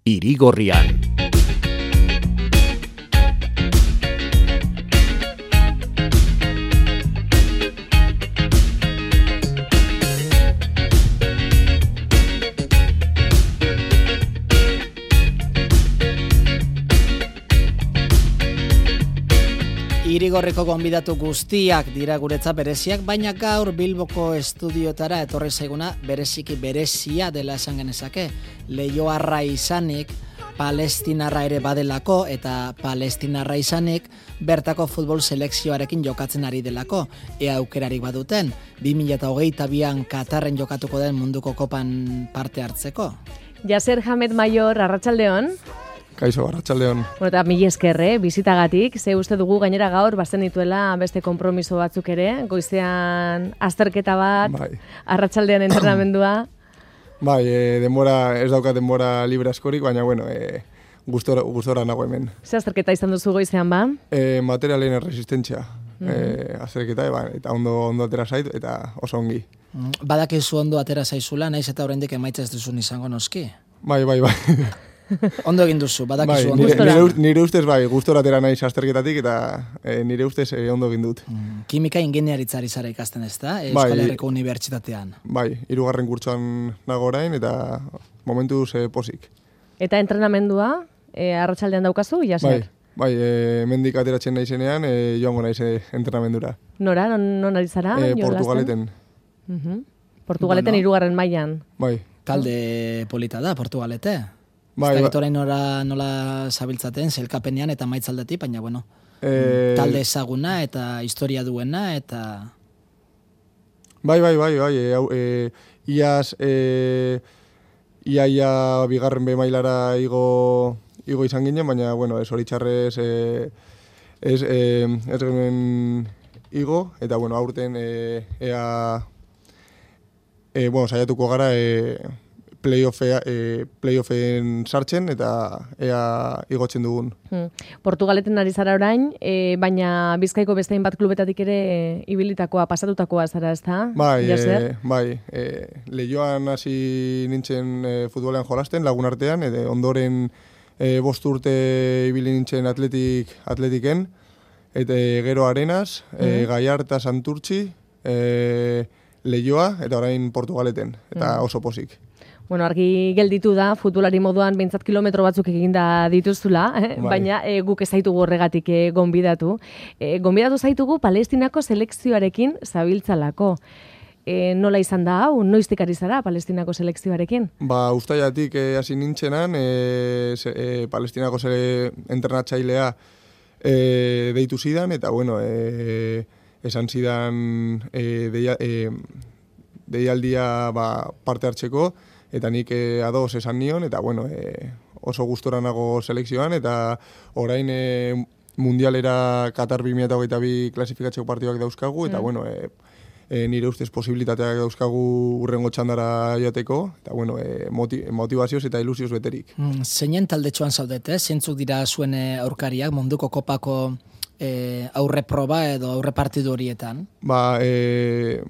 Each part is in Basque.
Irigorrian. Irigorreko gonbidatu guztiak dira guretzat bereziak, baina gaur Bilboko estudiotara etorri zaiguna bereziki berezia dela esan genezake. Leioarra izanik, palestinarra ere badelako eta palestinarra izanik bertako futbol selekzioarekin jokatzen ari delako. Ea aukerarik baduten, 2022an Katarren jokatuko den munduko kopan parte hartzeko. Yaser Hamed Mayor, arratsaldeon. Kaixo, arratsaldeon. Eta mila esker, bizitagatik. Ze uste dugu gainera gaur bazen dituela beste konpromiso batzuk ere. Goizean azterketa bat, bai. Arratsaldean entrenamendua. Bai, ez daukat denbora libre askorik, baina bueno, gustora nago hemen. Ze azterketa izan duzu goizean ba? Materialen resistentzia. Azterketa, eta ondo atera zait, eta oso ongi. Badakizu ondo atera zaizula, naiz eta oraindik emaitza ez duzun izango noski? Bai. Ondo egin duzu, badakizu bai, ondo. Nire ustez bai, gustora atera naiz azterketatik eta nire ustez ondo egin dut. Kimika ingeniaritzari zara ikasten ez da, Euskal Herriko Unibertsitatean. Bai, 3. kurtsoan nago orain eta momentuz pozik. Eta entrenamendua, arratsaldean daukazu, Yaser? Bai, mendik ateratzen naizenean, joango naiz entrenamendura. Nora, non ari zara? Portugaleten. Portugaleten 3. mailan. Bai. Talde polita da, Portugalete. Bai, ez da nola zabiltzaten, zelkapenean eta maitzaldetik, baina bueno, talde ezaguna eta historia duena, eta... Bai, iaz, ia bigarren B mailara igo izan ginen, baina, bueno, zoritxarrez ez genuen igo, eta, bueno, aurten saiatuko gara playoffen sartzen eta ea igotzen dugun. Portugaleten ari zara orain, baina Bizkaiko beste hainbat klubetatik ere ibilitakoa, pasatutakoa zara, ezta? Bai. Leioan hasi nintzen futbolean jolasten, lagun artean, ondoren 5 urte ibili nintzen atletiken, eta gero Arenas, Gallarta, Santurtzi, Leioa, eta orain Portugaleten, eta oso pozik. Bueno, argi gelditu da, futbolari moduan behintzat kilometro batzuk eginda dituzula, baina guk ez zaitugu horregatik gonbidatu. Gonbidatu zaitugu Palestinako selekzioarekin zabiltzalako. Nola izan da hau, noiztik ari zara Palestinako selekzioarekin? Uztailatik hasi nintzenan, Palestinako entrenatzailea deitu zidan, eta bueno, esan zidan deialdia parte hartzeko, eta nik ados esan nion, eta bueno, oso gustora nago selekzioan, eta orain mundialera Qatar 2022 klasifikatzeko partiduak dauzkagu, eta bueno, nire ustez posibilitateak dauzkagu urrengo txandara joateko, eta bueno, motivazioz eta ilusioz beterik. Zeinen taldetxoan zaudete, zeintzuk dira zuen aurkariak munduko kopako aurre proba edo aurre partidu horietan? 5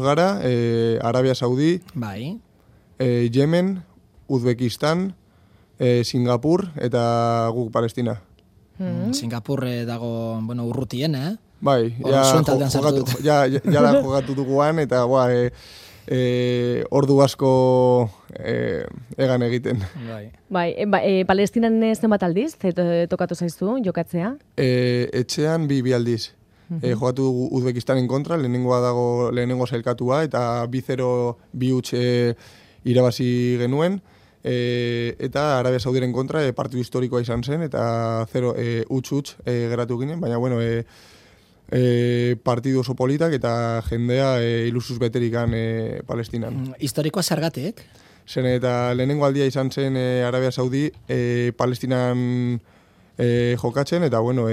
gara, Arabia Saudi, bai. Yemen, Uzbekistan, Singapur eta guk Palestina. Singapur dago, urrutien, Bai, jogatu duguan, eta ordu asko egan egiten. Bai, Palestinan zenbat aldiz, tokatu zaizu jokatzea? Etxean 2 aldiz. Jogatu dugu Uzbekistanen kontra, lehenengo sailkatua, eta 2-0 2 irabazi genuen, eta Arabia Saudiren kontra partidu historikoa izan zen, eta 0 utz geratu ginen, baina bueno, partidu oso politak eta jendea ilusuz beterikan Palestinan. Historikoa zergatik? Zen eta lehenengo aldia izan zen Arabia Saudi Palestinan jokatzen, eta bueno,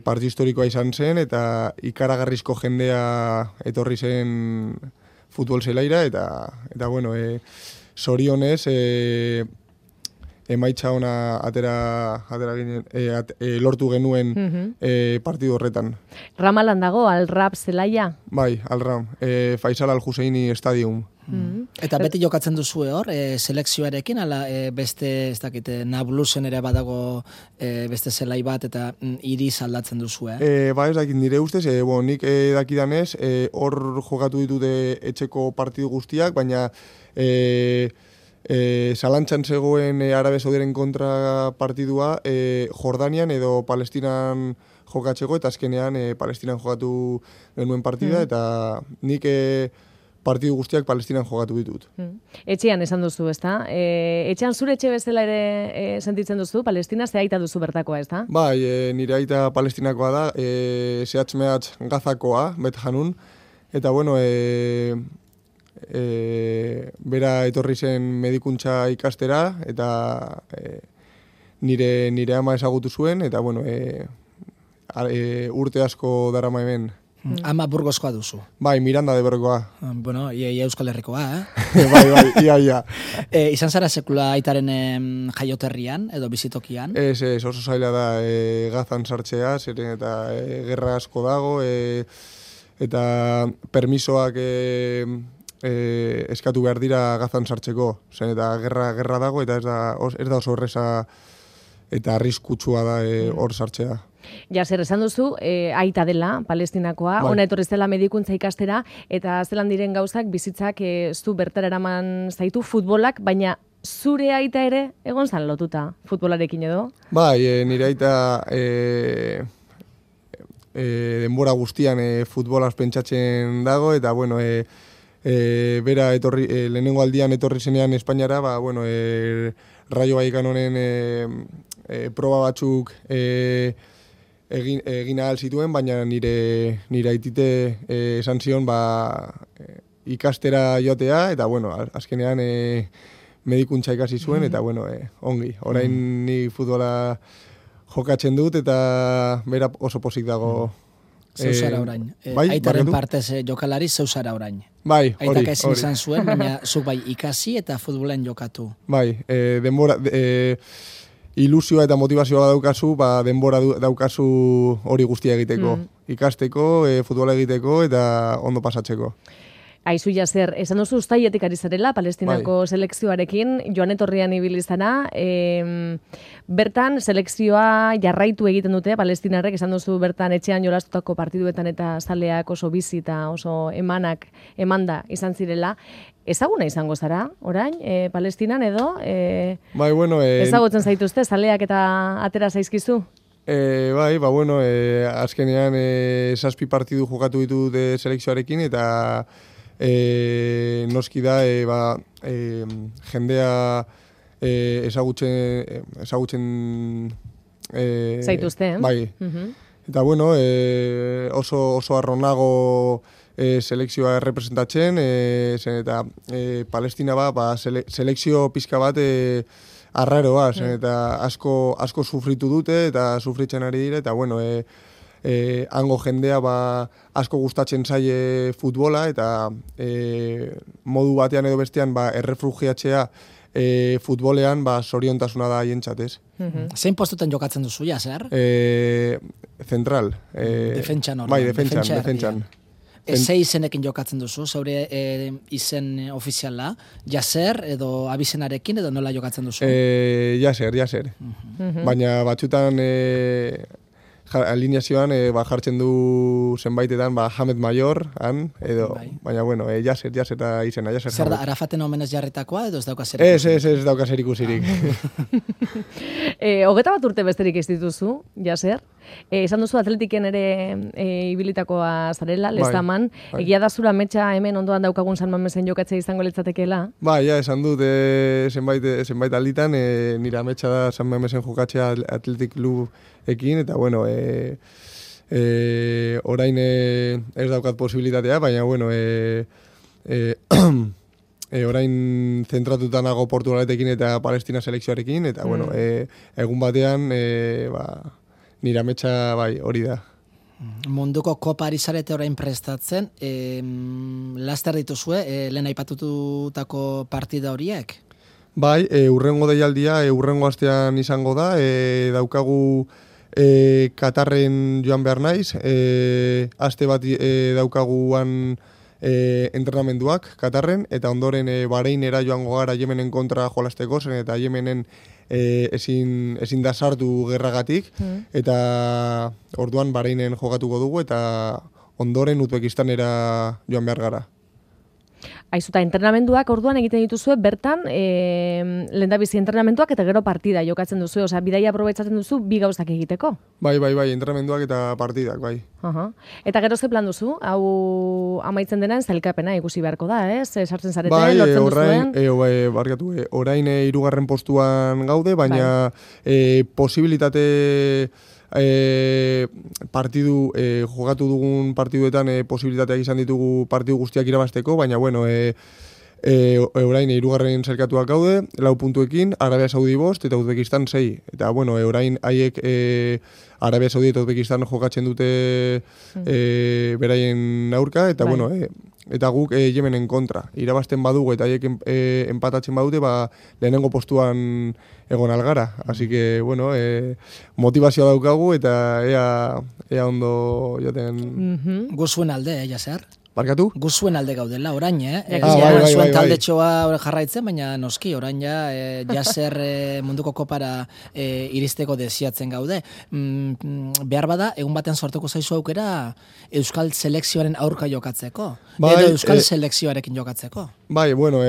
partidu historikoa izan zen, eta ikaragarrizko jendea etorri zen futbol zelaira, eta bueno, zorionez emaitza ona lortu genuen partidu horretan. Ramalan dago, Al-Rab zelaia? Bai, Al-Ram, Faisal Al-Huseini Stadium. Eta beti jokatzen duzue hor, selekzioarekin, ala beste, ez dakite, Nablusen ere badago beste zelai bat, eta iriz aldatzen duzue. Ba ez dakit nire ustez, nik dakidanez, hor jokatu ditute etxeko partidu guztiak, baina zalantzan zegoen Arabe Saudiaren kontra partidua Jordanian edo Palestinan jokatzeko, eta azkenean Palestinan jokatu genuen partida, eta nik partidu guztiak Palestinan jokatu ditut. Etxean esan duzu, ezta? Etxean zure etxe bezala ere sentitzen duzu, Palestina, ze aita duzu bertakoa, ezta? Bai, nire aita palestinakoa da, zehatz-mehatz Gazakoa, Bet Hanun, eta bueno, bera etorri zen medikuntza ikastera, eta nire ama ezagutu zuen, eta bueno, urte asko darama hemen. Ama Burgoskoa duzu. Bai, Miranda de Bergoa. Bueno, ia Euskal Herrikoa, Bai, ia. Izan zara sekula aitaren jaioterrian, edo bizitokian? Ez, oso zaila da Gazan sartzea, zeren eta gerra asko dago, eta permisoak eskatu behar dira Gazan sartzeko. Zen eta gerra dago, eta ez da oso erreza eta arriskutsua da hor sartzea. Zer esan duzu, aita dela, Palestinakoa, ona etorri zela medikuntza ikastera, eta zelan diren gauzak bizitzak zu bertara eraman zaitu futbolak, baina zure aita ere egon zan lotuta futbolarekin edo? Bai, nire aita denbora guztian futbolaz pentsatzen dago, eta bueno, bera lehenengo aldian etorri zenean Espainiara, ba, bueno, Rayo Vallecanonen proba batzuk egin ahal zituen, baina nire aitite esan zion ikastera joatea, eta bueno, azkenean medikuntza ikasi zuen, eta bueno, ongi. Orain ni futbola jokatzen dut, eta bera oso pozik dago. Zeuzara orain. Bai, aitaren partez jokalari zeuzara orain. Bai, hori. Aitak ezin izan zuen, baina zuk bai ikasi eta futbolen jokatu. Bai, denbora... ilusioa eta motivazioa daukazu, denbora daukazu hori guztia egiteko. Ikasteko, futbola egiteko eta ondo pasatzeko. Aizu Jaser, esan duzu uztailetik ari zarela, Palestinako selekzioarekin, joan etorrian ibili izana, bertan selekzioa jarraitu egiten dute, Palestinarrek, esan duzu bertan etxean jolastutako partiduetan eta zaleak oso bizi eta oso emanda izan zirela. Ezaguna izango zara, orain, Palestinan edo? Bai, bueno... ezagutzen zaituzte, zaleak eta atera zaizkizu? Bai, bueno, azkenean 7 partidu jokatu ditut selekzioarekin, eta noski da, jendea ezagutzen zaituzte, Bai. Eta bueno, oso arronago selekzioa errepresentatzen, eta Palestina selekzio pizka bat arraroa, eta asko sufritu dute, eta sufritzen ari dira, eta bueno, hango jendea asko gustatzen zaie futbola, eta modu batean edo bestean errefugiatzea futbolean zoriontasuna da haientzat, ez? Zein postuten jokatzen duzu, Jaser? Zentral. Defentsan hori. Bai, defentsan. Ze izenekin jokatzen duzu, zaure izen ofiziala, Jaser edo abizenarekin edo nola jokatzen duzu? Jaser. Baina batzutan alineazioan jartzen du zenbaitetan Hamed Mayor, edo, baina bueno, Jaser da izena, Jaser. Zer da, Arafaten omenez jarritakoa edo ez dauka zer ikusirik? Ez dauka zer ikusirik. 21 urte besterik ez dituzu, Jaser. Esan duzu atletiken ere ibilitakoa zarela, Lestaman. Egia da zura metxa hemen ondoan daukagun San Mamesen jokatzea izango litzatekeela? Bai, esan dut zenbait alditan, nire metxa da San Mamesen jokatzea Atletik Klubekin, eta bueno, orain ez daukat posibilitatea, baina bueno, orain zentratuta nago Portugaletekin eta Palestina selekzioarekin, eta bueno, egun batean, nire ametsa hori da. Munduko kopa ari zarete orain prestatzen, laster dituzue, lehen aipatutako partida horiek? Bai, urrengo deialdia, urrengo astean izango da, daukagu Katarren joan behar naiz, aste bat daukaguan entrenamenduak Katarren, eta ondoren Bahreinera joango gara Yemenen kontra jolasteko zen, eta Yemenen ezin da sartu gerragatik, eta orduan Bahreinen jokatuko dugu, eta ondoren Uzbekistanera joan behar gara. Aizuta, entrenamenduak orduan egiten dituzue, bertan, lehendabizi entrenamenduak eta gero partida jokatzen duzu, osea, bidaia aprobetxatzen duzu bi gauzak egiteko? Bai, entrenamenduak eta partidak, bai. Eta gero ze plan duzu? Hau amaitzen denan zailkapena ikusi beharko da, ez? Sartzen zarete, lortzen duzuen? Barkatu, orain 3. postuan gaude, baina posibilitate partidu, jogatu dugun partiduetan posibilitateak izan ditugu partidu guztiak irabazteko, baina bueno, orain 3. zerkatuak gaude, 4 puntuekin, Arabia Saudi 5 eta Uzbekistan 6. Eta bueno, orain haiek Arabia Saudi eta Uzbekistan jokatzen dute beraien aurka, eta bueno, eta guk Yemenen kontra. Irabazten badugu eta haiek empatatzen badute, lehenengo postuan egon algara. Así que, bueno, motivazioa daukagu eta ea ondo jaten... Guzuen alde, Jaser? Barkatu? Guzuen alde gaudela, orain, Bai. Zuen taldetxoa jarraitzen, baina noski, orain Jaser munduko kopara iristeko desiatzen gaude. Behar bada, egun baten sortuko zaizu aukera Euskal Selekzioaren aurka jokatzeko. Edo Euskal Selekzioarekin jokatzeko. Bai, bueno,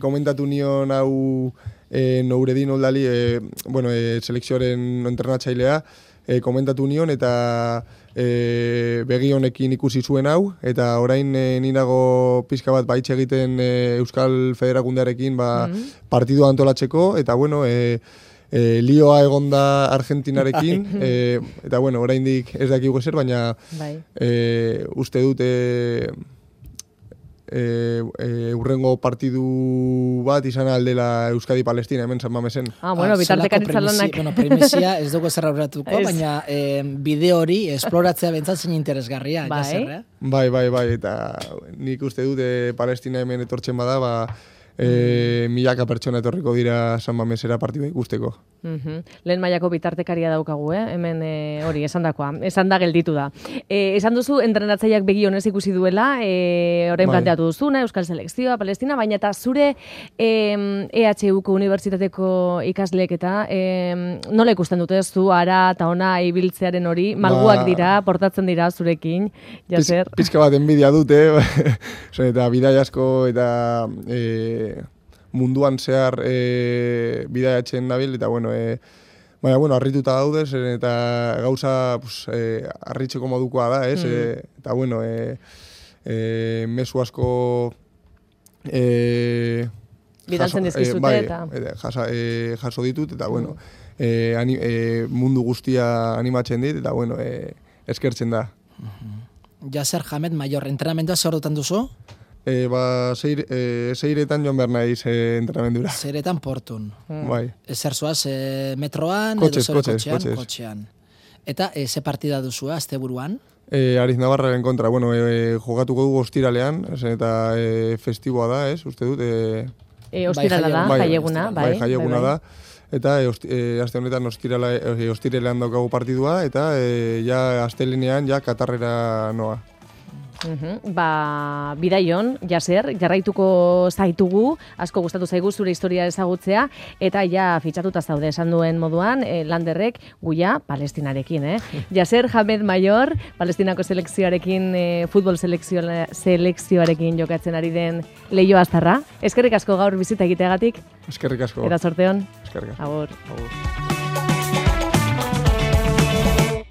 komentatu nion hau Nouredin Oldali, selekzioaren entrenatzailea, komentatu nion eta begi honekin ikusi zuen hau, eta orain ninago pixka bat baitxe egiten Euskal Federakundearekin partidua antolatzeko, eta bueno, lioa egonda Argentinarekin, eta bueno, oraindik ez dakigu ezer, baina uste dut urrengo partidu bat izan aldela Euskadi-Palestina hemen San Mamesen. Bueno, bitartekaritza lanak. Primizia ez dugu zer aurratuko, baina bideo hori esploratzea bentzat zein interesgarria. Bai, eta nik uste dut Palestina hemen etortzen bada, milaka pertsona etorriko dira San Mamesera partidua ikusteko. Lehen mailako bitartekaria daukagu, hemen hori, esan da gelditu da. Esan duzu, entrenatzaileak begi honez ikusi duela, orain planteatu duzuna, Euskal Selekzioa, Palestina, baina eta zure EHUko Unibertsitateko ikasleek eta nola ikusten dute zu, ara eta ona ibiltzearen hori, malguak dira, portatzen dira zurekin, Jaser? Pizka bat enbidia dute, eta bidai asko eta munduan zehar bidaiatzen nabil, eta bueno, harrituta daudez, eta gauza harritzeko modukoa da, ez? Eta bueno, mezu asko bidaltzen dizkizute eta jaso ditut, eta bueno, mundu guztia animatzen dit, eta bueno, eskertzen da. Jaser Hamed Mayor, entrenamentua zer ordutan duzu? Seiretan joan behar naiz entrenamendura. Seiretan Portun. Bai. Zer zoaz, metroan, kotxean. Eta ze partida duzu, azte buruan? Ariz Navarraren kontra, jogatuko dugu ostiralean, eta festiboa da, uste dut. Ostirala da, jaieguna, bai. Jaieguna da. Eta aste honetan ostiralean daukagu partidua, eta astelenean Katarrera noa. Bidaion, Jaser, jarraituko zaitugu, asko gustatu zaigu zure historia ezagutzea, eta fitxatuta zaude esan duen moduan, Landerrek guia Palestinarekin, Jaser Hamed Mayor, Palestinako selekzioarekin, futbol selekzioarekin jokatzen ari den Leio Aztarra. Eskerrik asko gaur bizita egiteagatik. Eskerrik asko. Eta sorteon. Eskerrik asko. Agur.